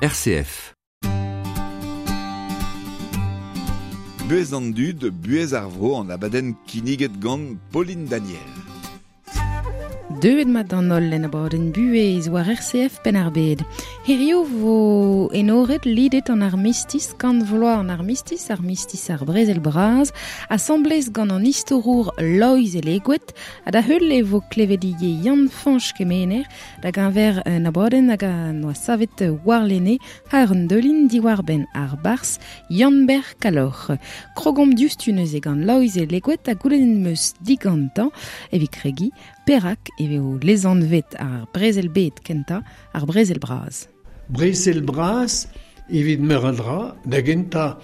RCF. Buhez an dud, buhez ar vro an abadenn kinniget gant Pauline Daniel. Deuet mat d'an holl en abadenn buhez war RCF Penn-ar-Bed. Hirio vo enoret lidet an armistis, kant vloaz an armistis, armistis ar brezel bras, asamblez gant an istorour Loeiz Elegoed, ha da heul e vo klevet ivez Yann Fañch Kemener da geñver un abadenn hag a noa savet warlene har un deulin diwar-benn ar barzh Yann-Ber Kalloc'h. Krogomp diouzhtu neuze gant Loeiz Elegoed ha goulennet 'm eus digantañ evit kregiñ Perak e vezo lesanvet ar brezel-bed kentañ ar brezel bras? Brezel bras evit meur a dra. Da gentañ,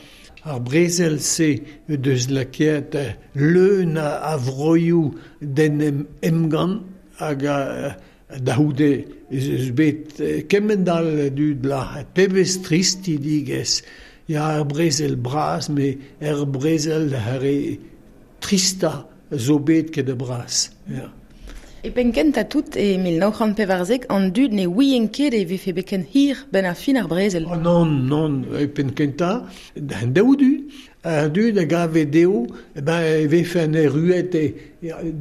ar brezel-se deus lakaet leun a vroioù d'en em emgann hag da c'houde ez eus bet kement-all a dud lazhet. Pebezh tristidigezh! Ya, ar brezel bras, met er brezel ar re tristañ zo bet ket a bras. Ya. E penn-kentañ tout, e 1914, an dud ne ouient ket e vefe bet ken hir 'benn ar fin ar brezel. Oh nann, nann, e penn-kentañ, d'an daou du, an dud a gave dezho ben, e vefen erruet e,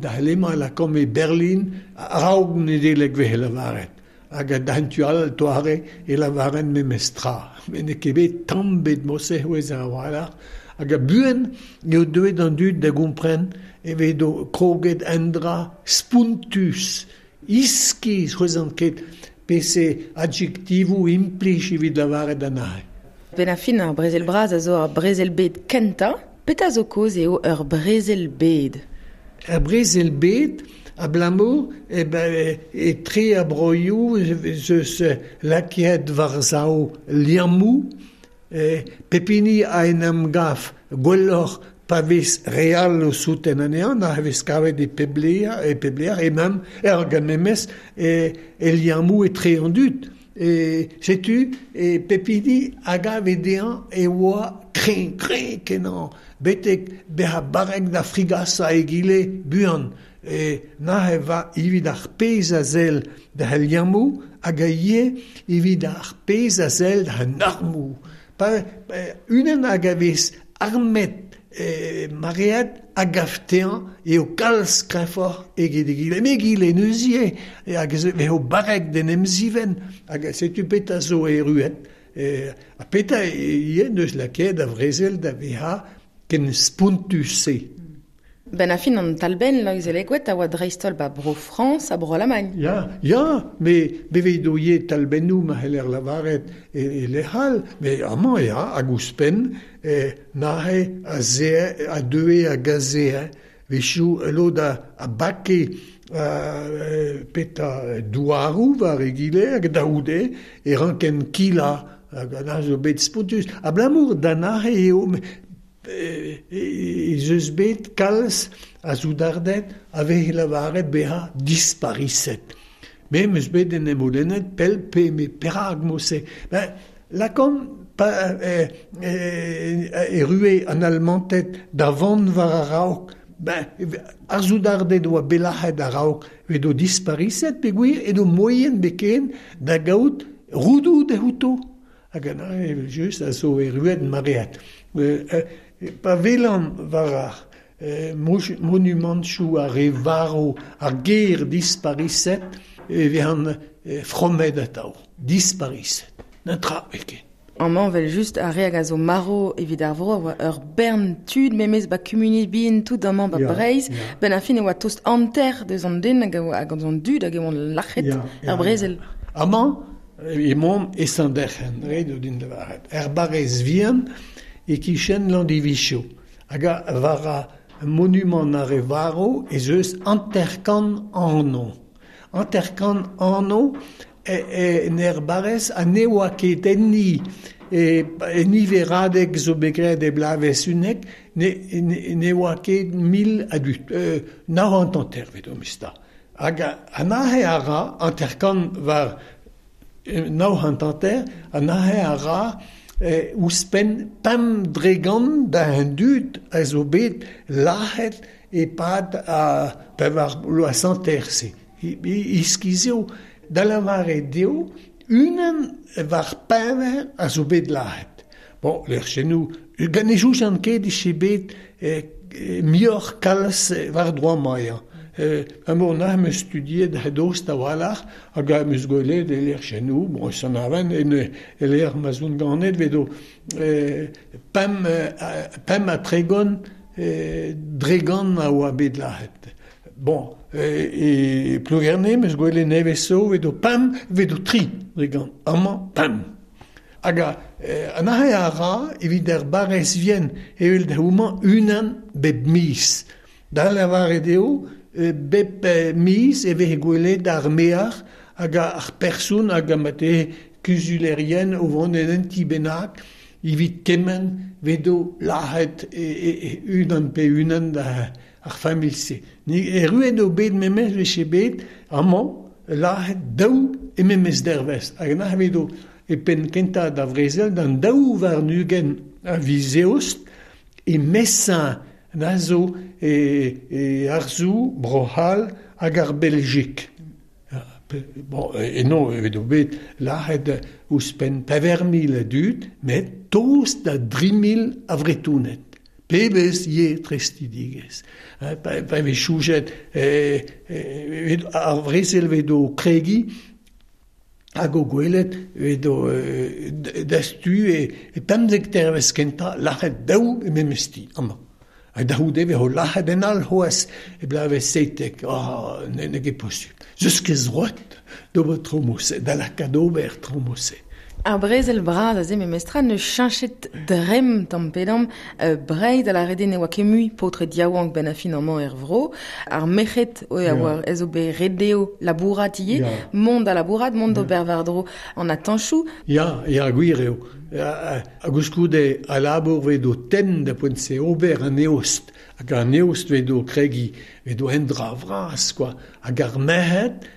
da lemañ lakaomp e Berlin a-raok Nedeleg 'vehe lavaret. Hag d'an tu all, toare, e lavaren memes tra. Met n'eo ket bet tamm bet morse c'hwezh a-walc'h. Hag a-buan eo deuet an dud da gompren e vedo kroget un dra spontus, iskis, c'hwezhan ket pese adjektivoù implij evit lavaret anezhe. Benn ar fin, ar brezel bras a zo ar brezel-bed kentañ. Petra zo kaoz eo ur brezel-bed? Er brezel-bed, abalamour eh ben, etre ar broioù ez eus lakaet war-sav liammoù, pep hini a en em gav gwelloc'h pa vez re all o souten anezhañ, a vez kavet e pep lec'h, e pep lec'h, e même er gant memes e, e liammoù etre an dud. E setu e pep hini a gave dezhañ e oa kreñv, kreñv kenañ, betek bezañ barrek da frigasañ egile buan. E nac'h va evit ar pezh a sell d'al liammoù hag ivez evit ar pezh a sell d'an armoù. Pa unan hag a vez armet maread a gav dezhañ eo kalz kreñvoc'h eget egile. Met egile neuze hag eo barrek d'en em zivenn hag setu petra zo erruet. Ha petra ivez 'neus lakaet ar brezel da vezañ ken spontus-se. Benn ar fin an talbenn Loeiz Elegoed a oa dreist-holl ba Bro-Frañs ha Bro-Alamagn. Ya, ya, met bevet o ivez talbennoù ma c'heller lavaret e lec'h all, met amañ ya, hag ouzhpenn neuze a zee a deue hag a zee wechoù lod a bake petra douaroù war egile hag da c'houde e rankent kilañ hag a zo bet spontus. Abalamour da neuze eo ez eus bet kalz a soudarded a veze lavaret bezañ dispariset. Me 'm eus bet en em c'houlennet pell pe me perak mod-se. Ben, lakaomp pa errue an Almanted da vont war a-raok, ben, ar soudarded oa bet lac'het a-raok edo dispariset peogwir edo moaien beken da gaout roudoù dezhouto. Hag evel-just a zo erruet maread. Pa welan war ar monumantoù ar re varv ar ger dispariset e vezan fromet atav. Dispariset. Netra ket. Amañ evel-just ar re hag a zo marv evit ar vro a oa ur bern tud memes ba kumuniezh bihan tout amañ ba Breizh. Benn ar fin e oa tost hanter deus an den hag hag an dud hag e oant lac'het er brezel. Amañ emaomp e Saint-Derc'hen, ret eo din lavaret. Er barrez vihan e-kichen Landivizio. Hag war ar monumant ar re varv ez eus 50 anv. 50 anv en er barrez ha ne oa ket enni e niveradeg zo bet graet e bloavezh 11 ne oa ket 1000 a dud. 950 evit omp Hag an aze a ra 50 war 950, an aze a ra ouzhpenn 5% da an dud a zo bet lazhet e-pad ar pevar bloaz hanter-se. Iskis eo da lavaret eo Unan war pever a zo bet lahet. Bon, lec'h gant e joujan ket e bet mioc'h kalz war droa maia. An na am eus studiet hedost a-walc'h hag am eus gwelet e lec'h chenou, bon, san aven, en e lec'h ma zon ganet, vedo pem a tregon dregan a oa bet lahet. Bon, e Plougerne, meus gwelet nevez so, vedo pem, vedo tri dregan. Amañ, pem. Hag an ahe a ra, evit ar barrez vien, evel da houmañ unan bep miz. Da lavaret eo, bep miz e vez gwelet ar mear hag ar person hag amate kuzulerien o vont en un ti bennak, evit kement vedo lahet unan pe unan da ar familh-se. Ni erruet o bet memez veche bet, amañ, lahet daou e memez dervez. Hag an vedo e pen kenta da vrezel d'an daou war nugen a vizeost e mesañ na zo e arzou, Brohal hag ar Belgique. Bon, e non, evet o bet lahet ouzhpenn pever mil a dud, met tost da dri mil a vretounet. Pebez ye trestidigez. Pa vez choujet ar vrezel vedo kregi hag o gwelet vedo dastu e pemzek tervez kenta lac'het daou e memesti, amañ. Hag da c'houde vez ho lac'het en al c'hoaz e blavez seitek, ah, ne ket posubl. Zeus ket zroet d'ober tromose, da lakaat ober tromose. Ar brezel bras a ze memestra ne cheñchet dremm tamm pedam Breizh a la rede ne oa ket mui paotr diaouank ben a fin amañ er vro. Ar merc'hed oe a oa ez o bet redeo labourat ivez, mont da labourat, mont d'ober war-dro an atanchoù. Ya, ya, gwir eo. Hag ouzhkoude a labour vedo tenn da poent se ober an eost. Hag an eost vedo kregi, vedo en dra vras, quoi. Hag ar merc'hed,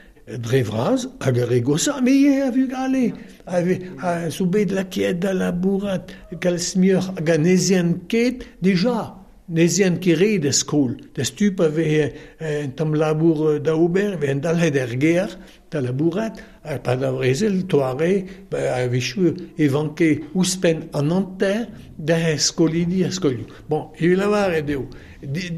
dre vras, hag ar re gosa, me eo a vugale. A zo bet lakeet da labourat kalz muioc'h hag an ezien ket, deja, n'ezien ket re da skol. Da stup a vez un tamm labour da ober, vez en dalc'het er gêr da labourat, ha pa da vrezel, toare, a wechoù e vanke ouzhpenn an hanter da skolidi ar skolioù. Bon, evit lavaret eo,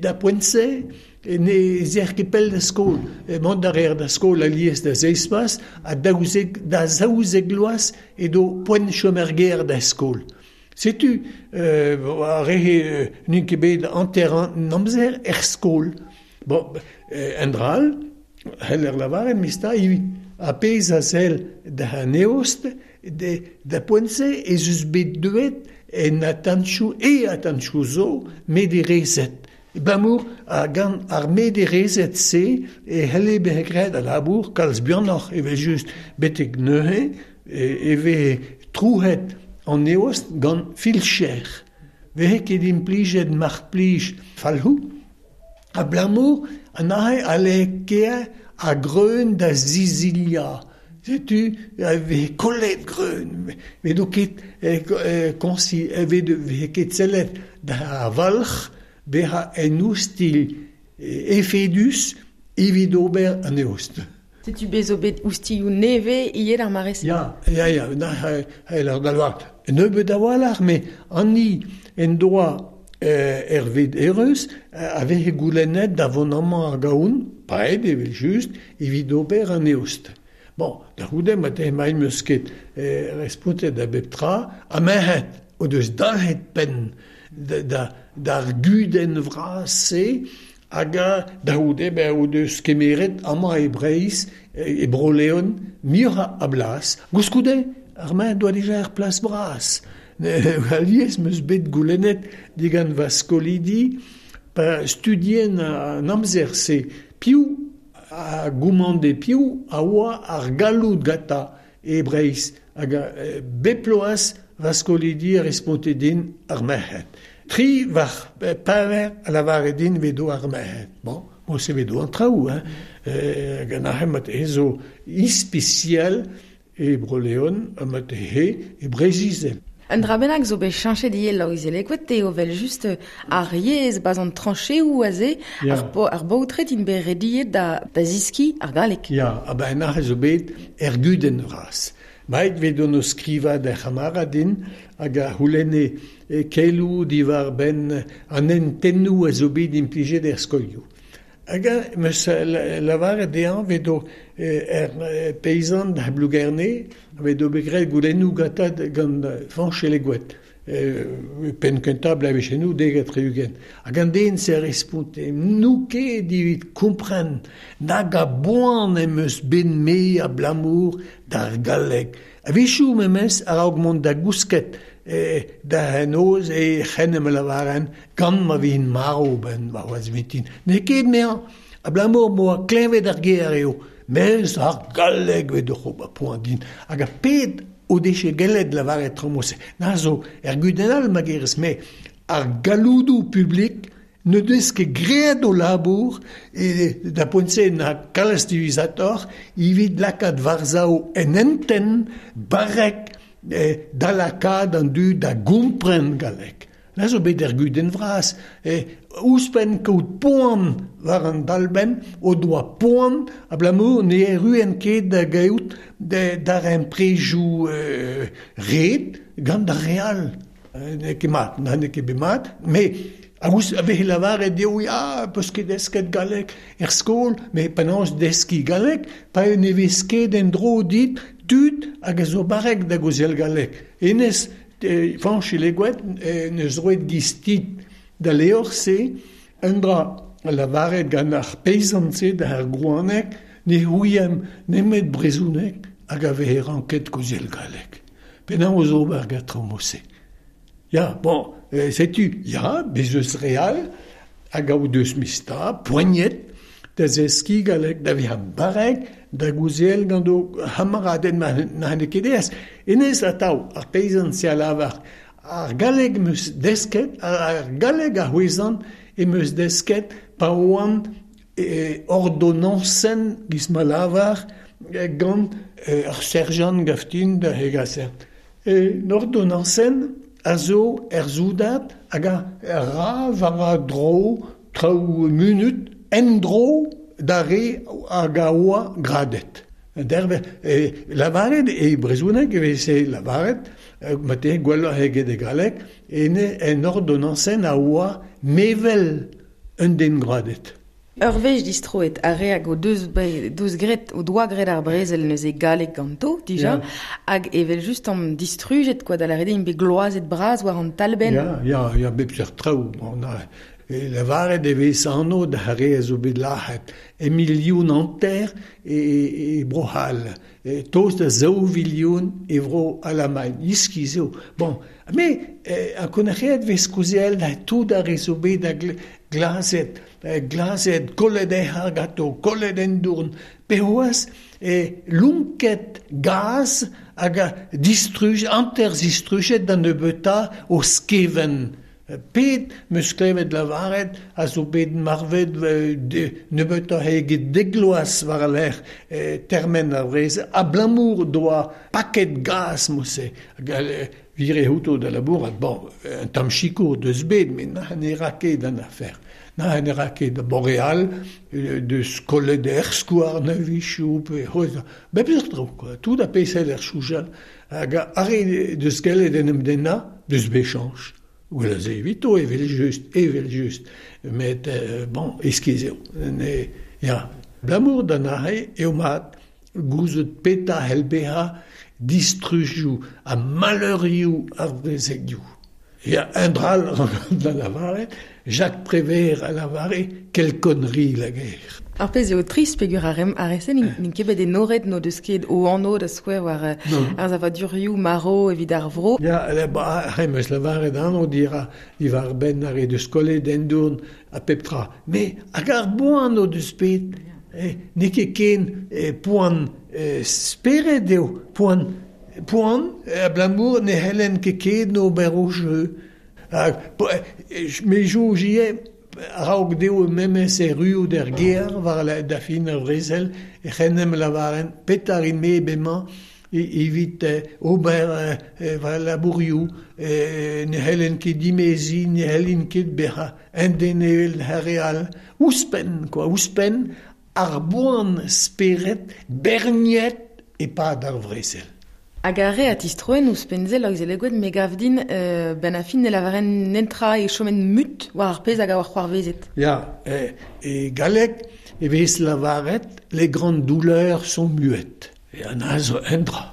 da poent-se, ne zer ket pell da skol. Mont da reer da skol alies da seizh ha da zaouzek loaz edo poent chom er gêr da skol. Setu, ar re n'int ket bet hanter an amzer er skol. Bon, en dral, heller lavaret, mista, a pezh a sell da an eost, da poent-se ez eus bet deuet en atanchoù e atanchoù zo mederezet. Bamour a gant ar mederezet-se e c'helle bezañ graet a labour kalz buanoc'h evel just betek neuze e vez trouet an eost gant filcher. Veze ket implijet mar plij falc'hoù, abalamour an ahe a lakae a greun da zizilia. Setu a veze kollet greun, vedo ket konsi, veze ket sellet da valc'h bezañ en oustilh efedus evit ober an eost. Setu bez zo bet oustilhoù nevez ivez d'ar mare-se. Ya, ya, ya, na, ar dalvar. Nebeut a-walc'h, met an en doa Hervé Ereus a veze goulennet da vont amañ ar gaoun, paeet evel just, evit ober an eost. Bon, da c'houde ma te emañ meus ket respontet da bep tra, ha merc'hed o deus dalc'het penn d'ar gudenn vras-se hag da c'houde ben o deus kemeret amañ e Breizh, e Bro-Leon, muioc'h a blas. Gouskoude, ar mañ doa dija ar plas bras. Alies meus bet goulennet digant va skolidi pa studien an amzer-se piv a goumande piv a oa ar galloud gata e Breizh hag bep loaz va skolidi a responte din ar merc'hed. Tri war pever a lavare din vedo ar merc'hed. Bon, bon se vedo an traoù, hein. Gant ar c'hemat zo ispisial e Bro-Leon ha mat he e Breizh-Izel. Un dra bennak zo bet cheñchet ivez Loeiz-Elegoed eo vel just ar yezh bas an trancheoù aze, ar baotred int bet rediet da ziski ar galleg. Ya, ha ben ar zo bet er gudenn vras. Maet vet on o skriva d'ar c'hamaradin hag a c'houlenne keloù diwar benn an hentennoù a zo bet implijet er skolioù. Hag a meus lavaret dezhañ vet o er peizant da Blougerne vet o bet graet goulennoù gantañ gant Fañch Elegoed. Penn kentañ bloavezhennoù 70. Hag an den se responte n'ou ket evit kompren nag a boan em eus bet me abalamour d'ar galleg. A-wechoù memes a-raok mont da gousket da noz e c'hen em lavaren gant ma vin marv ben warc'hoazh vintin. N'eo ket 'meañ abalamour m'oa klevet ar ger eo. Mes ar galleg vet oc'h ober poan din. Hag ar ped o deche gellet lavaret traoù-se. Na zo er gudenn all ma gerez me ar galloudoù publik ne deus ket graet o labour e da poent-se na kalz diwezhatoc'h evit lakaat war-sav en hentenn barrek da lakaat an dud da gompren galleg. Na zo bet er gudenn vras. Ouzhpenn kaout poan war an dalbenn o doa poan abalamour ne erruent ket da gaout darempredoù ret gant ar re all. N'eo ket mat, n'eo ket bet mat, met a veze lavaret dezho ya, peus ket desket galleg er skol, met penaos deskiñ galleg pa ne vez ket en-dro dit tud hag a zo barrek da gaozeal galleg. Hennezh, Fañch Elegoed n'eus roet giz-tit da levr-se un dra lavaret gant ar peizant-se d'ar Grouaneg ne ouiemp nemet brezhoneg hag a vehe ranket kaozeal galleg. Penaos ober gant traoù-se? Ya, bon, setu, ya, bez eus re all hag a o deus mista, poaniet da zeskiñ galleg, da vezañ barrek, da gaozeal gant o c'hamaraded ma n'eo ket aes. Hennezh atav, ar peizant-se a lavar, ar galleg 'm eus desket, ar galleg a c'hwezan em eus desket pa oan ordonansenn, giz ma lavar, gant ar serjant gaftin da hegaser. Un ordonansenn a zo er soudard hag a ra war a dro traoù munut en-dro d'ar re hag a oa gradet. Derve, lavaret e brezhoneg e veze lavaret, marteze gwelloc'h eget e galleg, en ordonansenn a oa mevel un den gradet. Ur wech distroet ar re hag o deus deus graet o doa graet ar brezel neuze galleg ganto dija, hag evel-just am distrujet quoi da lâret eo int bet gloazet bras war an talbenn. Ya, ya, ya, bep seurt traoù. Bon, lavaret e vez anv d'ar re a zo bet lazhet e 1,5 milion e Bro-C'hall, tost da 2 milion e Vro-Alamagn. Iskis eo. Bon, me ankounac'haet vez kaozeal da tout ar re zo bet da glazet, glazet, kollet e c'har ganto, kollet en dourn, pe c'hoazh lonket gaz hag a distruj, hanter-zistrujet da nebeutañ o skevent. Pet 'm eus klevet lavaret a zo bet marvet nebeutoc'h eget dek vloaz war al lec'h termen ar brezel, abalamour doa paket gaz mod-se. Vire outo da labourat, bon, un tamm sikour deus bet, met ne ra ket an afer. Na ne ra ket Boreal deus kollet er skouarn a-wechoù pe c'hoazh bep seurt traoù quoi, tout a pezh er soujal. Hag ar re deus gellet en em dennañ deus bet chañs. Gwell a se evito evel-just, evel-just. Met bon, iskis eo. Ne, ya. Abalamour d'an aze eo mat gouzout petra c'hell bezañ distrujoù ha maleurioù ar brezelioù. Ya, un dra all da lavaret, Jacques Prévert a lavare quelle connerie la guerre. Ar pezh eo trist peogwir ar ar re-se n'int ket bet enoret n'o deus ket o anv da skouer war ar savadurioù marv evit ar vro. Ya, ba, em eus lavaret anv dira diwar benn ar re deus kollet en dourn ha pep tra. Me hag ar boan o deus bet, n'eo ket ken poan spered eo, poan abalamour ne c'hellen ket ken ober o jeu. Me soñj ivez a-raok dezho memes erruout er gêr war da fin ar brezel e c'hennemp lavaren petra rin-me bremañ evit ober va labourioù, ne c'hellen ket dimeziñ, ne c'hellin ket bezañ un den evel ar re all. Ouzhpenn quoi, ouzhpenn ar boan spered berniet e-pad ar brezel. Hag ar re a tistroen ouzhpenn-se Loeiz Elegoed me gav din ben a fin ne lavaren netra e chomen mut war ar pezh hag a oa c'hoarvezet. Ya, e galleg e vez lavaret les grandes douleurs sont muettes. E an a zo un dra.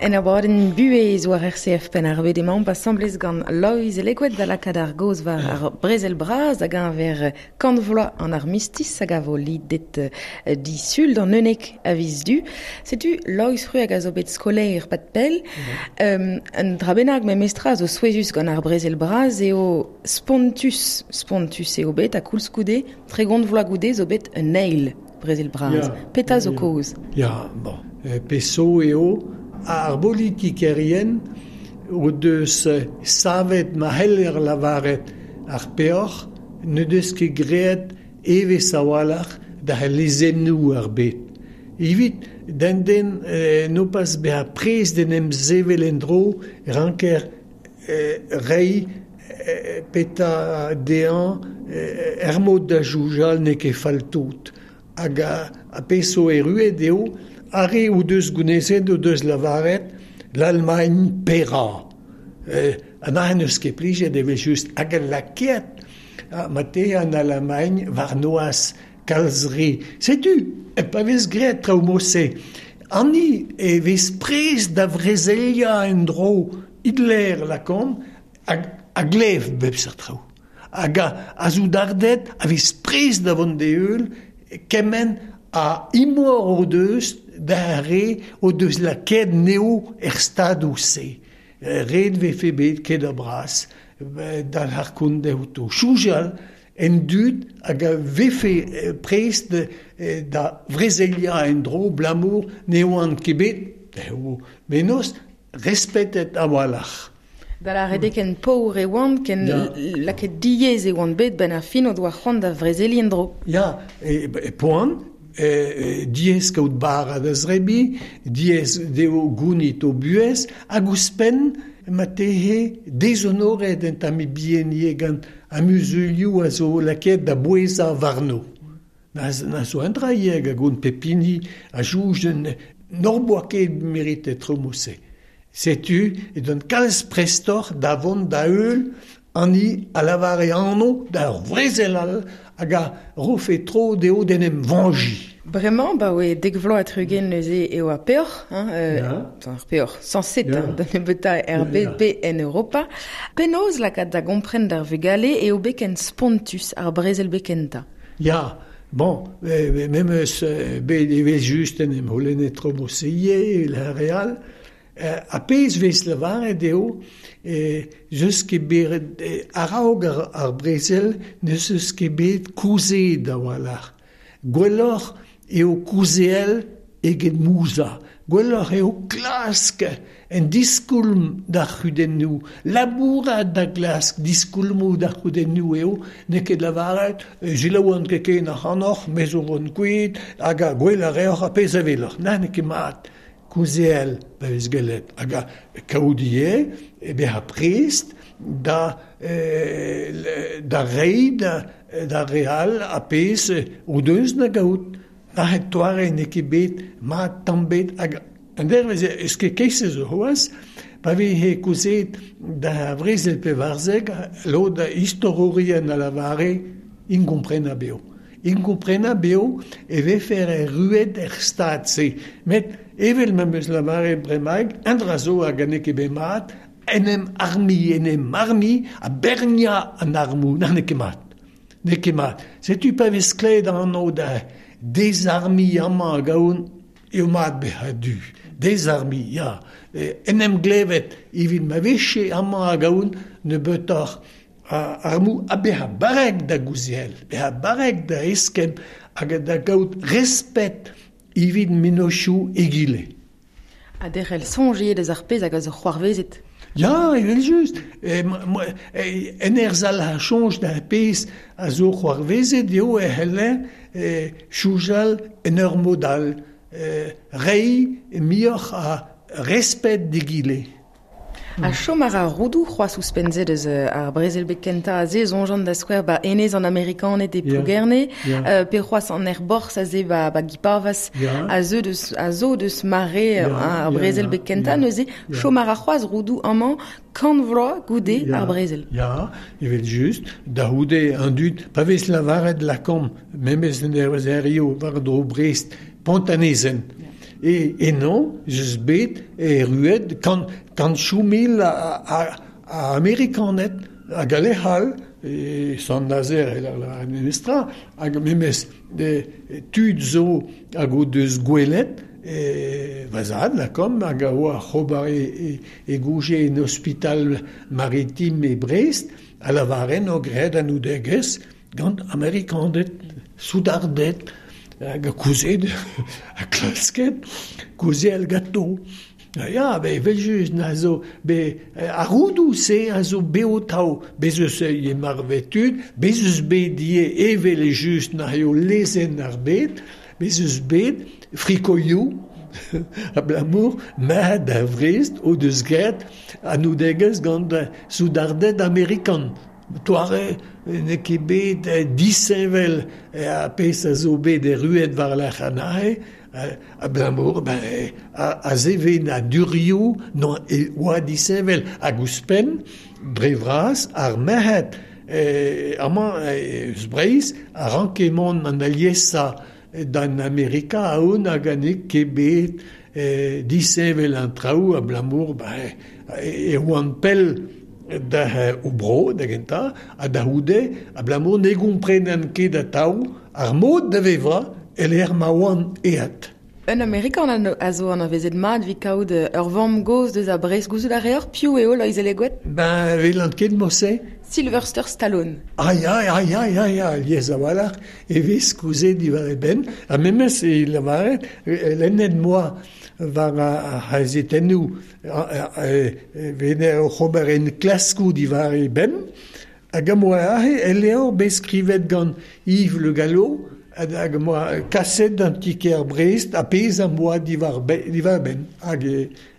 En abadenn buhez war RCF Penn-ar-Bed emaomp asambles gant Loeiz Elegoed da lakaat ar gaoz war ar brezel bras hag enver kant vloaz an armistiz hag a vo lidet disul d'an 11 a viz Du. Setu Loeiz Fru hag a zo bet skolaer pad pell. Un dra bennak memestra a zo souezhus gant ar brezel bras eo spontus, spontus eo bet ha koulskoude 30 vloaz goude zo bet un eil brezel bras. Petra zo kaoz? Ya, bon, peso eo ar bolitikerien o deus savet ma c'heller lavaret ar peoc'h ne deus ket graet evezh a-walc'h da lezennoù ar bed. Evit d'an den no pas bezañ prest d'en em sevel en-dro ranker reiñ petra dezhañ er mod da soñjal n'eo ket fall tout. Hag a pezh zo erruet eo ar re o deus gounezet o deus lavaret l'Allemagne paiera. An ahen eus ket plijet evel-just hag al lakaet ma te an Allemagne war noazh kalz re. Setu, pa vez graet traoù mod-se. Anni e vez prest da vrezeliañ en-dro Hitler lakaomp a glev bep seurt traoù. Hag a soudarded a vez prest da vont d'e heul kement a imor o deus da re o deus lakaet neo er stadoù-se. Ret vefe bet ket a bras d'al harkont outo. Soñjal en dud hag a vefe prest da vrezeliañ en-dro blamour ne oant ket bet menoz respetet a-walc'h. Da lâret eo ken paour e oant, ken lakaet diaes e oant bet benn ar fin o doa c'hoant da vrezeliñ en-dro. Ya, e poan, diaes kaout bara da zrebiñ, diaes dezho gounit o buhez, hag ouzhpenn ma tehe dezonoret un tamm bihan gant ar muzulioù a zo lakaet da bouezañ warno. Na zo un dra ivez hag gant pep hini a soñj n'hor boa ket meritet traoù mod-se. Setu edon kalz prestoc'h da vont da heul an a lavare anv da ur vrezel all hag a rofe tro dezho d'en em vañjiñ. Bremañ, ba oe dek vloaz ha tri-ugent neuze eo ar peoc'h, hein, ar peoc'h, sañset, da nebeutañ er bed pe en Europa. Penaos lakaat da gompren d'ar vugale eo bet ken spontus ar brezel bet kentañ? Ya, bon, memes bet evel-just en em c'houlennet tro mod-se ivez, ar re all. A pezh vez lavaret eo eus ket bet a-raok ar brezel n'eus eus ket bet kaozeet a-walc'h. Gwelloc'h eo kaozeal eget mouzañ. Gwelloc'h eo klask en diskoulm d'ar c'hudennoù. Labourat da glask diskoulmoù d'ar c'hudennoù eo n'eo ket lavaret selaouan ket ken ac'hanoc'h, me zo vont kuit hag a gwell a reoc'h ar pezh a weloc'h. Na, n'eo ket mat. Kaozeal pa vez gellet hag a kaout ivez e bezañ prest da reiñ d'ar re all ar pezh o deus da gaout. Nac'het toare n'eo ket bet mat tamm bet hag an dervezh eus ket keizh zo c'hoazh Pa vehe kaozeet da vrezel 14, lod istorourien a lavare inkomprenabl eo. Inkomprenabl eo e vefer erruet er stad-se. Met evel ma 'm eus lavaret bremaik, un dra zo hag n'eo ket bet mat, en em armiñ, en em armiñ ha berniañ an armoù, na n'eo ket mat. N'eo ket mat. Setu pa vez klevet anv da dezarmiñ amañ hag ahont, eo mat bezañ a-du. Dezarmiñ, ya. En em glevet evit ma vefe amañ hag ahont nebeutoc'h a armoù ha bezañ barrek da gouziel, bezañ barrek da eskemm hag da gaout respet evit mennozhioù egile. Ha derc'hel soñj ivez deus ar pezh hag a zo c'hoarvezet. Ya, evel-just. En ur sal a soñj d'ar pezh a zo c'hoarvezet eo e c'heller soñjal en ur mod all, reiñ muioc'h a respet d'egile. Ha chom a ra roudoù c'hoazh ouzhpenn-se deus ar brezel-bed kentañ aze, soñjan da skouer ba enez an Amerikaned e Plougerne, pe c'hoazh an aerborzh aze ba Guipavas, a zeu deus a zo deus mare ar brezel-bed kentañ neuze, chom a ra c'hoazh roudoù amañ 100 vloaz goude ar brezel. Ya, evel-just, da c'houde an dud, pa vez lavaret lakaomp memes en ervezerioù war-dro Brest, Pont-an-Ezen. E eno ez eus bet erruet kantchoù mil a Amerikaned hag a lec'h all, e Sant-Nazer e lâr memes tra, hag memes tud zo hag o deus gwelet va zad lakaomp hag a oa oc'h ober e gouje en ospital maritim e Brest, a lavaren o graet anoudegezh gant Amerikaned, soudarded, hag kuzhet ha klasket kaozeal ganto. Ya, evel-just, na zo bet ar roudoù-se a zo bev atav. Bez' eus ivez marvet tud, bez' eus bet ivez evel-just na eo lezenn ar bed, bez' eus bet frikoioù abalamour ma da Vrest o deus graet anoudegezh gant soudarded amerikan. Doare n'eo ket bet disheñvel ar pezh a zo bet erruet war-lerc'h anezhe, abalamour a sevenadurioù e oa disheñvel. Hag ouzhpenn, dre vras, ar merc'hed amañ eus Breizh a ranke mont an aliesañ d'an Amerika aon hag n'eo ket bet disheñvel an traoù abalamour e oant pell da o bro da gentañ ha da c'houde abalamour ne gomprenen ket atav ar mod da vevañ e-lec'h ma oant aet. Un Amerikan a zo anavezet mat evit kaout ur vamm-gozh deus a Brest. Gouzout a reoc'h piv eo Loeiz Elegoed? Ben, welan ket morse. Sylvester Stallone. Ah ya, ah ya, ya, ya, lies a-walc'h e vez kaozeet diwar e benn. Ha memes e lavaret, lennet 'moa war ar c'hazetennoù vener oc'h ober enklaskoù diwar e benn. Hag am boa aze el levr bet skrivet gant Yves Le Gallo hag am boa kaset d'an ti-kêr Brest ar pezh am boa diwar-benn hag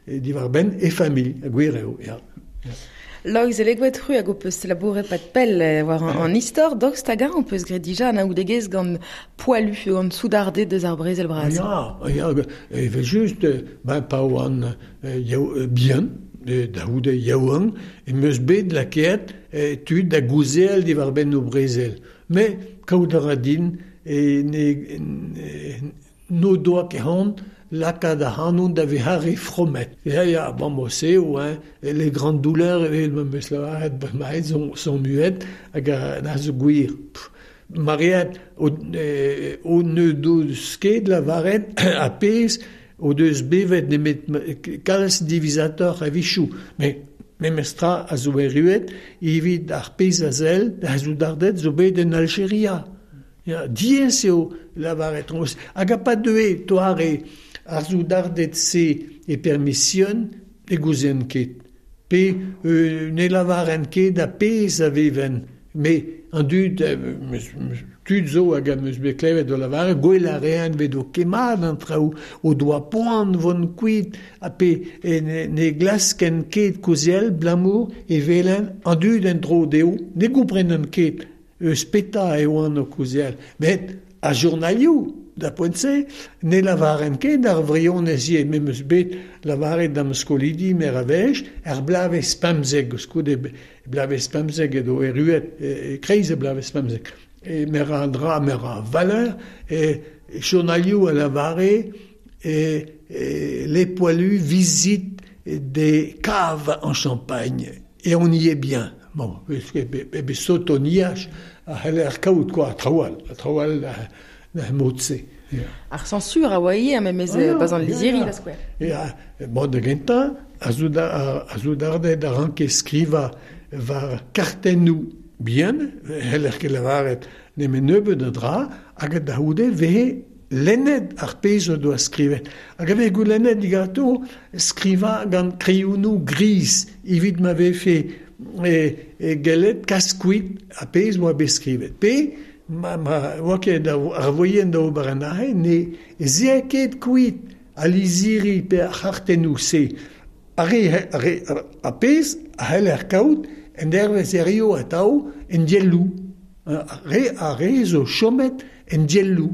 diwar-benn e familh, gwir eo, ya. Loeiz Elegoed, c'hwi hag ho peus labouret pad pell war an istor, daoust hag-eñ ho peus graet dija anaoudegezh gant poalu, gant soudarded eus ar brezel bras? Ya, ya, evel-just, ben pa oan bihan, da c'houde yaouank, em eus bet lakaet tud da gouzeal diwar-benn o brezel. Met kaout a ra din n'o doa ket c'hoant lakaat ac'hanon da vezañ re fromet. Ya, ya, bon, se eo, hein, les grandes douleurs, evel ma 'm eus lavaret bremañ, sont muettes, hag a zo gwir. Mariad o ne deus ket lavaret ar pezh o deus bevet nemet kalz diwezhatoc'h a-wechoù. Met memestra a zo erruet evit ar pezh a sell da soudarded zo bet en Aljeria. Ya, diaes eo lavaret traoù. Hag a pa deue doare ar soudarded-se e permision, ne gouzen ket. Pe ne lavaren ket ar pezh a veven. Me an dud, tud zo hag am eus bet klevet o lavaret, gwell a reent bet o kemmat an traoù, o doa poan vont kuit, ha pe ne glasken ket kaozeal abalamour e welen an dud en-dro dezho, ne gomprenen ket eus petra e oant o kaozeal. Met ar journalioù da poent-se, ne lavaren ket ar vrionez ivez, me 'm eus bet lavaret da'm skolidi mer a wech, ar bloavezh 15, koulskoude bloavezh 15 edo erruet e-kreiz e bloavezh 15. E mer a dra, mer a valeur, e journalioù a lavare e, e les poilus visitent des caves en Champagne et on y est bien. Bon, e sotoniaj a c'heller kaout quoi, traoù all, traoù all da mod-se. Ar censure a oa ivez, memes bas an lizhiri da skouer. Ya, bon, da gentañ, ar soudarded a ranke skrivañ war kartennoù bihan, c'heller ket lavaret nemet nebeut a dra, hag da c'houde vehe lennet ar pezh o doa skrivet. Hag a vez goulennet diganto skrivañ gant kreionoù gris evit ma vefe e gellet kas kuit ar pezh oa bet skrivet. Pe ma oa ket ar voien da ober an aze, ne zea ket kuit al lizhiri pe ar c'hartennoù-se. Ar re ar pezh a c'heller kaout en dervezh hiziv atav en dielloù. Ar re zo chomet en dielloù.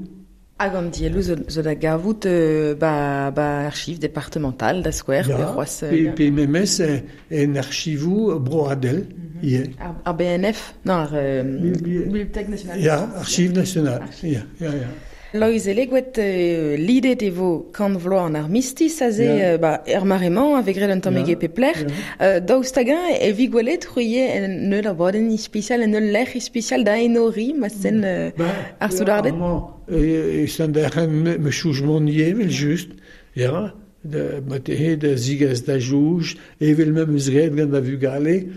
Hag an dielloù zo da gavout ba archiv departemental da skouer, pe c'hoazh... Pe memes en archivoù broadel ivez. Ar BNF? Non, ar Bibliothèque nationale. Ya, Archiv national. Ya, ya, ya. Loeiz Elegoed, lidet e vo kant vloaz an armistis aze, ba, er mare-mañ, a vez graet un tammig e pep lec'h. Daoust hag-eñ e vi gwelet c'hwi en ul abadenn ispisial, en ul lec'h ispisial da enoriñ ma sen ar soudarded? E Sant-Derc'hen me chouj mont ivez, evel-just, ya, ma tehe da zigas da jouj, evel ma 'm eus graet gant va vugale,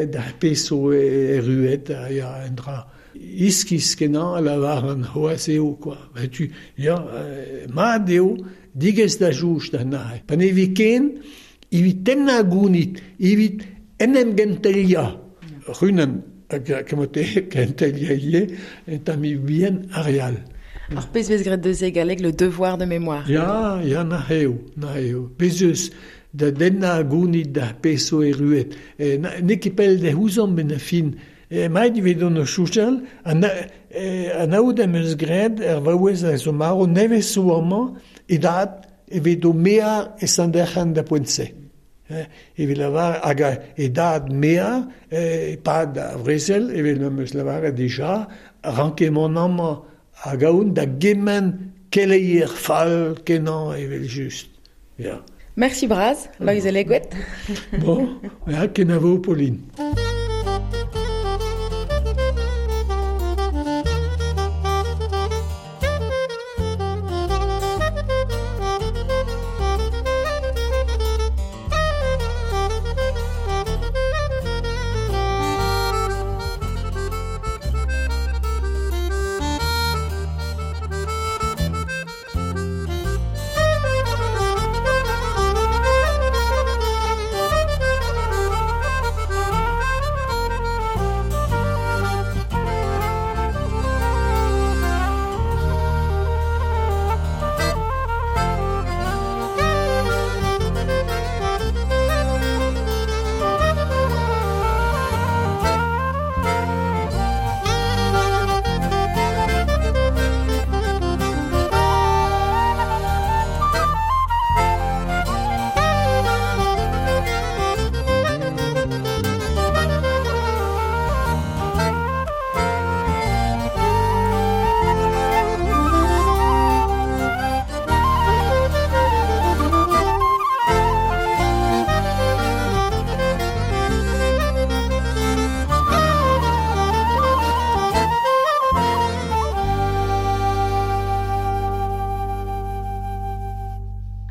da pezh zo erruet, ya, un dra iskis-kenañ a lavaran c'hoazh eo kwa. Setu, ya, mat eo digas da jouj da neuze. Pa ne vi ken evit tennañ gounid, evit en em genteliañ. Runan hag kenteliañ ivez, un tammig bihan ar re all. Ar pezh vez graet deus e galleg le devoir de mémoire. Ya, ya, na eo, na eo. Bez eus da dennañ gounid da pezh zo erruet. N'eo ket pell da ouzomp en fin. Emaet ivez on o soñjal, anaout am eus graet er vaouez a zo marv nevez zo amañ, e dad evit o mear e Sant-Derc'hen da poent-se. Evit lavar hag e dad mear e-pad ar brezel, evel m'am eus lavaret dija, ranke mont amañ hag aon da gement keleier fall kenañ evel-just. Ya. Merci bras, Loeiz Elegoed. Bon, ya, kenavo Pauline.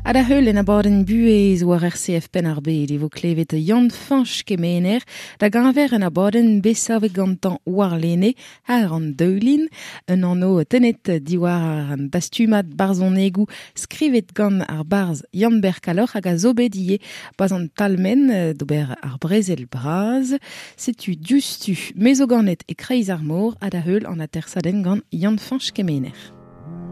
Ha da heul en abadenn buhez war RCF Penn-ar-Bed e vo klevet Yann Fañch Kemener da geñver un abadenn bet savet gantañ warlene àr an daoulin, un anv tennet diwar an dastumad barzhonegoù skrivet gant ar barzh Yann-Ber Kalloc'h hag a zo bet ivez bas an Talmen d'ober ar brezel bras. Setu diouzhtu me zo ganet e-kreiz ar mor ha da heul an atersadenn gant Yann Fañch Kemener.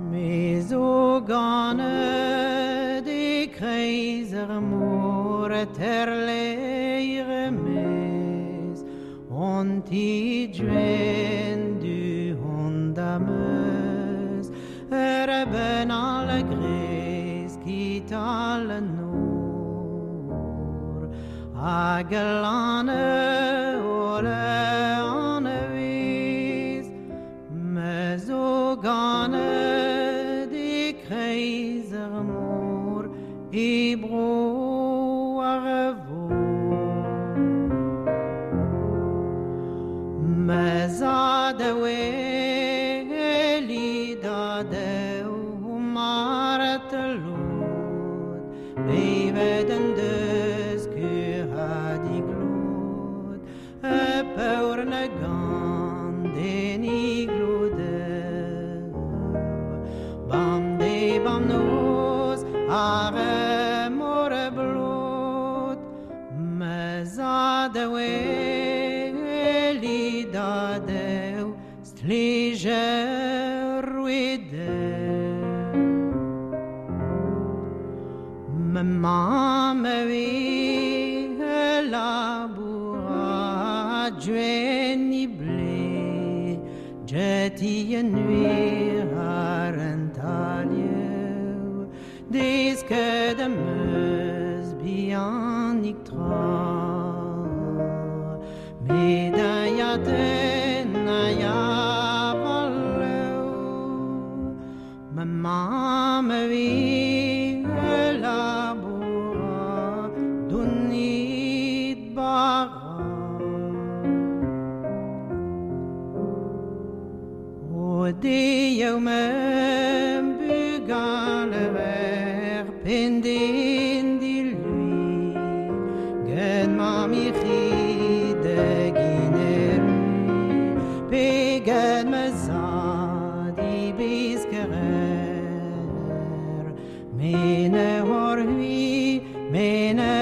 Me zo ganet e-kreiz ar mor terleir mez on ti duen du hon da meus Reben al grez kital nour Hag lan ole an viz Me zo ganet e kreiz ar mor E bro ar vo Me za da weli da deu maret lod Bevet en deus kur ha diglod E peur na gant den iglodeu Bam de bam noz ar mor blot Me za da weli da deu stlijer wideu Me mamm vi laboura dweni ble Jeti en nuir ar en talieu Disket am eus bihanik tra Met a ya den a ya valeu Ma mamm vi laboura dunit bara O de me bugale ver pendin di lui Gen ma mi de gineru Pe gen me zad i biskerer Mene hor hui, mene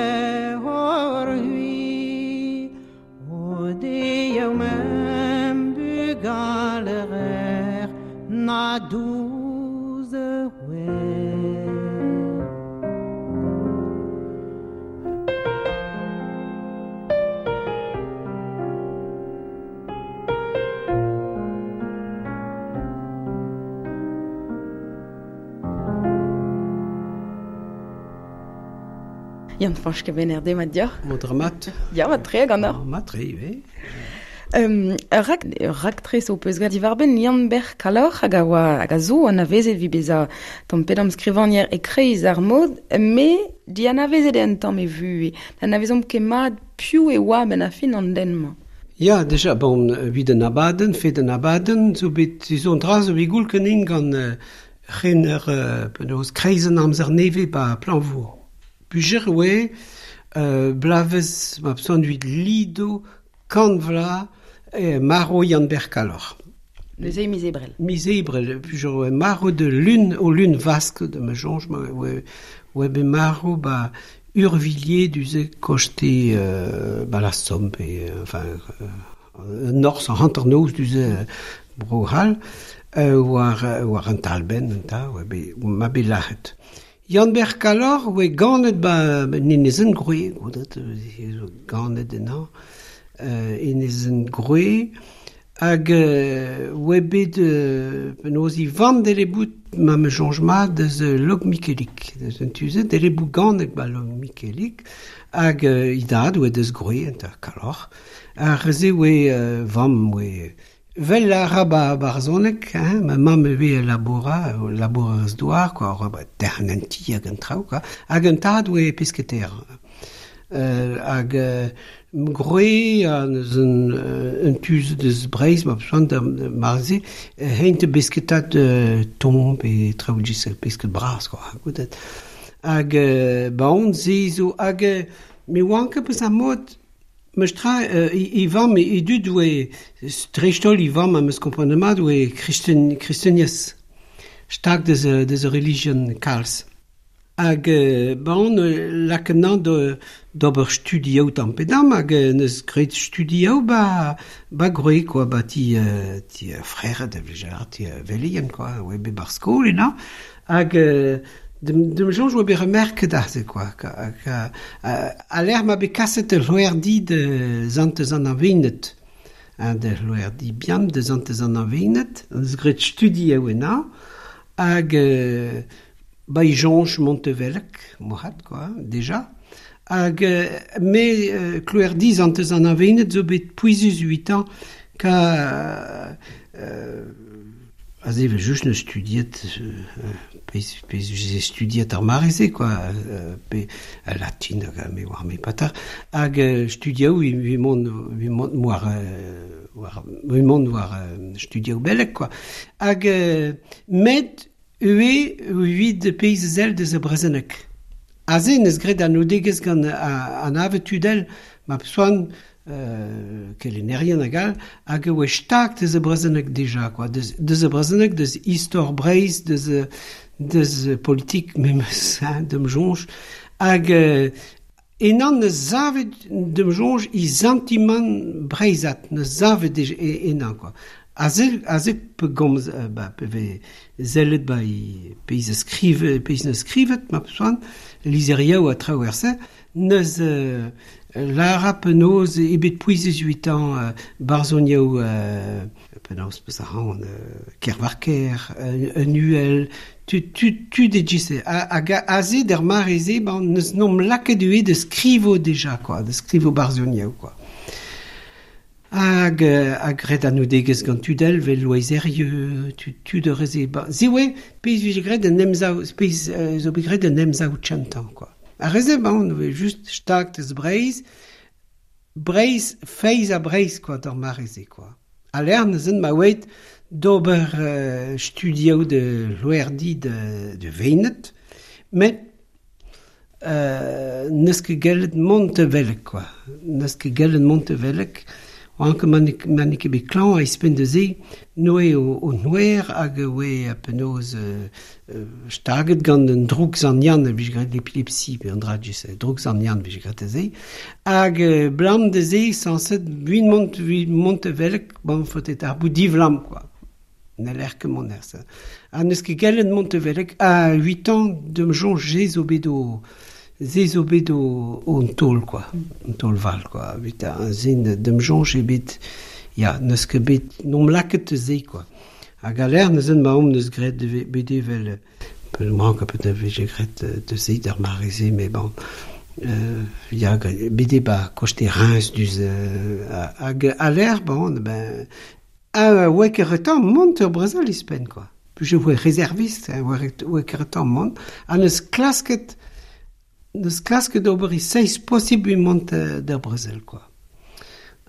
hor hui O de me bugale ver na douze wer Yann Fañch Kemener demat dioc'h. Mo dramat. Ya, mat tre ganeoc'h. Mat tre, ivez. Ur rak, ur raktres ho peus graet diwar-benn Yann-Ber Kalloc'h hag a oa hag a zo anavezet evit bezañ tamm pe damm skrivagner e-kreiz ar mod, me dianavezet eo un tamm e vuhez. N'anavezomp ket mat piv e oa a-benn ar fin an den-mañ. Ya, deja, bon, evit an abadenn, fet an abadenn, zo bet, zo an dra zo bet goul kenin gant rener penaos kreiz an amzer nevez ba Plañvour. Pujer oe, blavez ma pson evit lido kant vla maro Yann-Ber Kalloc'h. Neuze miz Ebrel. Miz Ebrel, pujer oe maro de lun o lun vask de ma jonj, ma oe be maro ba Urvilliers duze koste ba la Somme, pe, enfin, Norz an hanternoz duze Bro-C'hall, war an talbenn, an ta, oe be, ma be lac'het. Yann-Ber Kalloc'h oe ganet ba Enezenn Groe, goudet, zo ganet ennañ, Enezenn Groe, hag oe bet penaos i vamm dele bout ma me soñj mat deus Log-Mikelik, deus un tuze, dele bout ganet ba Log-Mikelik, hag i dad oe deus Groe, enta Kalloc'h, ar se oe vamm oe Vel a ra ba barzhoneg, hein, ma mamm e vez laboura, labourerez douar, quoi, ra ba derc'hen an ti hag an traoù, quoi, hag an tad oe pesketer. Hag Groe an eus un tuz deus Breizh, ma besoin da marze, heint besketat ton pe traoù gis pesket bras, quoi, goudet. Hag ba on se zo, hag me oan ket peus ar mod, Meus tra, i vamm, i dud oe, dreist-holl i vamm am eus komprenet mat oe kristen, kristeniezh, stag deus, deus ur relijion kalz. Hag ba on lakaet d'ober studioù tamm pe damm, hag neus graet studioù ba, ba Groe, quoi, ba ti, ti frere da vlejar, ti veleien, quoi, oe bet bar skol ena. Hag dem soñj oa bet remerket aze, quoi, ka, a l'air ma bet kaset ul loerdi de zantez an avinet, hein, de loerdi bihan de zantez an avinet, an eus graet studioù ena, Hag ba i jonch Montevelek, mohat, quoi, déjà. Hag me kloerdiz an teus an avenet zo bet pouezus 8 ans ka aze ve just ne studiet pez je studiet ar mareze quoi pe latin hag me war me patar hag studiaou vi mont war war vi mont war studiaou belek quoi hag met ue vid peiz zel deus a brezenek aze neus graet an odegez gant an ave tudel ma soan kelennerien hag all hag e oe stag deus a brezenek deja quoi deus a brezenek deus istor Breizh deus politik memes hein, dem jonj hag enan ne zavet dem jonj i sentiment breizhat ne zavet enan quoi aze pe gomz ba pe ve zellet ba i peiz a skrive peiz ne skrivet ma soan lizeriaou a traverse neus lara penaos ebet pouezus 8 ans barzoniaou penaos peus a ran Kervarker un uhel tu de gise hag aze der mareze ban neus nom laket ue de skrivo deja quoi de skrivo barzoniaou quoi hag graet an oudegez gant tudel vel loizerieu tu de reze ba ze oe peiz vije graet an emsav peiz zo bet graet an emsav chantan quoi a reze ban oe just stag deus Breizh Breizh feiz a Breizh quoi d'ar mareze quoi a lern zen ma oet d'ober studiaou de loerdi de Venet met neus ket gellet Montevelek quoi neus ket gellet Montevelek Anke man ket bet klañv a ispenn da se noe o noer hag oe penaos staget gant un droug zan-yann a vije graet l'epilepsie pe an dra just droug zan-yann vije graet da se hag blam da se sañset buin Montevelek bon faotet ar bout divlam quoi n'haller ket mont er se ha n'eus ket gellet Montevelek a 8 ans dem soñj zo bet o ze zo bet o an taol quoi an taol val quoi evit an zen dem soñj ebet ya n'eus ket bet n'omp laket ze quoi hag a l'air neuzen ma omp neus graet bet evel mank a peut-être vije graet de ze d'ar mareze mais bon ya bet eo ba koste Reims duz hag a l'air bon ben a oe ket mont ur brezel ispenn quoi je oe réserviste oe ket mont ha neus klasket neus klasket ober i seiz possible mont d'ar brezel quoi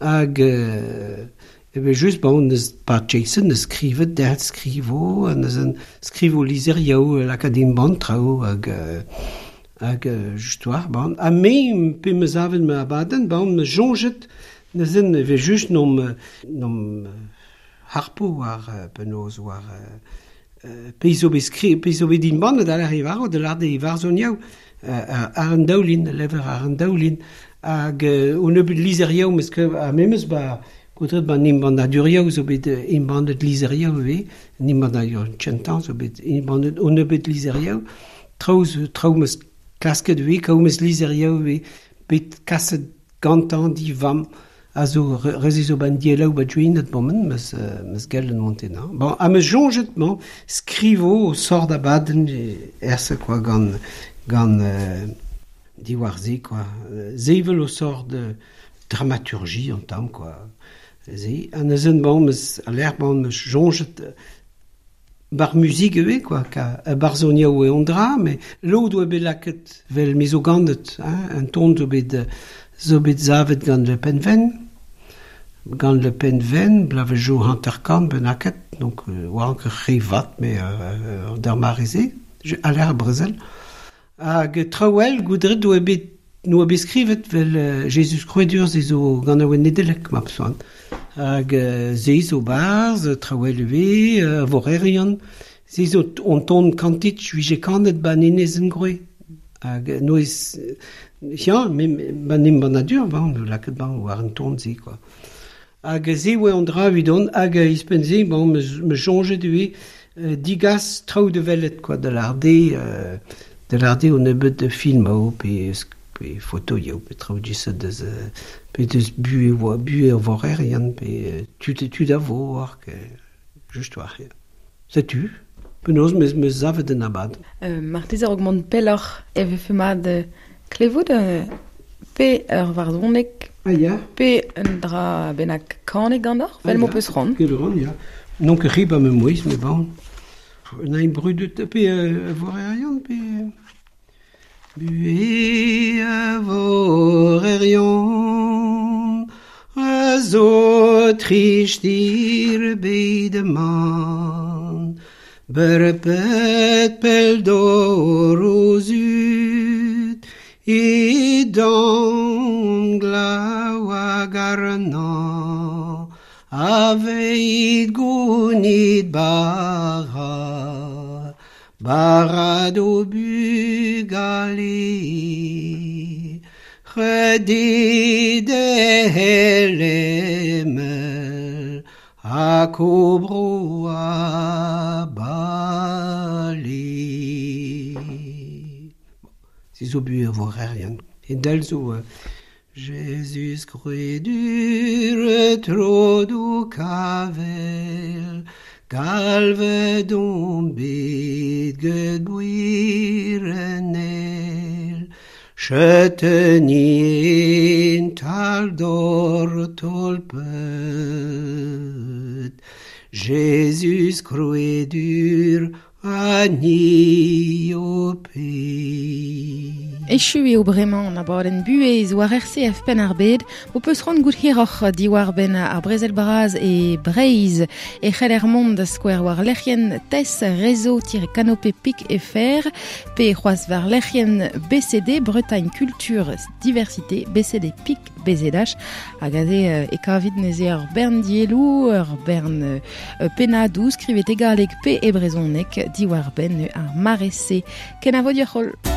hag ebe just bon neus pa Jason neus skrivet der skrivo neus an skrivo lizeriaou lakaat ban traoù hag hag just war bon ha me pe meus avet ma abadenn bon me soñjet neus en eve just nom harpo war penaos war peiz zo bet skri peiz zo bet din ban da l'ar ivaro de l'ar de ivarzoniaou ar an daoulin lever ar an daoulin hag o nebeut lizeriaou meus ket a memes ba koutret ba nimbandaduriaou zo bet imbandet lizeriaou ivez nimbandadur chentan zo bet imbandet o nebeut lizeriaou traoù meus klasket ivez kaout meus lizeriaou ivez bet kaset gantañ divam a zo reze zo ban dielaou ba juinet bomen meus gellen montenañ bon ha meus soñjet bon skrivo o sort abadenn erse quoi gant diwar ze quoi zevel o sort de dramaturgie an tamm quoi ze ha neuzen bon meus a l'air bon meus soñjet bar muzik eo quoi ka barzoniaou eo an dra mais lod oa bet laket vel me zo gandet hein un ton zo bet zavet gant le penven blave jo hanterkant benaket donc oa anke revat mais d'ar mareze a l'air brezel hag traouel goudret oa bet noa bet skrivet vel Jesus Kroedur ze zo gant a oa Nedelek ma soan hag ze zo barz traouel eve vorerion ze zo on ton kantit vije kanet ba nenezen groe hag noez ja me ba nimbannadur bon laket ban war an ton ze quoi hag ze oa an dra evidon hag ispenn ze bon me soñjet ivez digas traoù de velet quoi de l'arde o nebeut de film ao pe foto yaou pe traoù diset deus pe deus bu vorerian pe tu da vo war just war setu. Penaos meus meus zavet en abad. Marteze a-raok mont pelloc'h e vefe mat klevout pe ur varzhoneg Ah ya. Pe un dra bennak kanet ganeoc'h, vel m'ho peus c'hoant. Ket ran, ya. N'on ket re ba ma mouezh, met bon. Un ain brudet pe vorerion, pe... Buhez a vorerion a zo trist ir bed man. Berpet pell dor o zud e dan glav hag arnañ aveit gounit bara bara d'o bugale C'hredit e hag o bro a bale. Se zo buhez ar vorerien. E del zo Jezuz krouedur tro d'ho kavel Galvet on bet get gwir en êl Chetenien tal d'or tolpet Jezuz krouedur ha ni ho ped. Echu eo bremañ an abadenn buhez war RCF Penn-ar-Bed. Ho peus c'hoant goût hiroc'h diwar-benn ar brezel bras e Breizh e c'heller mont da skouer war lec'hienn TES réseau-canopé pic fr pe c'hoazh war lec'hienn BCD Bretagne Culture Diversité BCD Pic BZH hag aze e kavit neuze ur bern dielloù, ur bern pennadoù skrivet e galleg pe e brezhoneg diwar-benn ar mare-se. Kenavo dioc'h holl.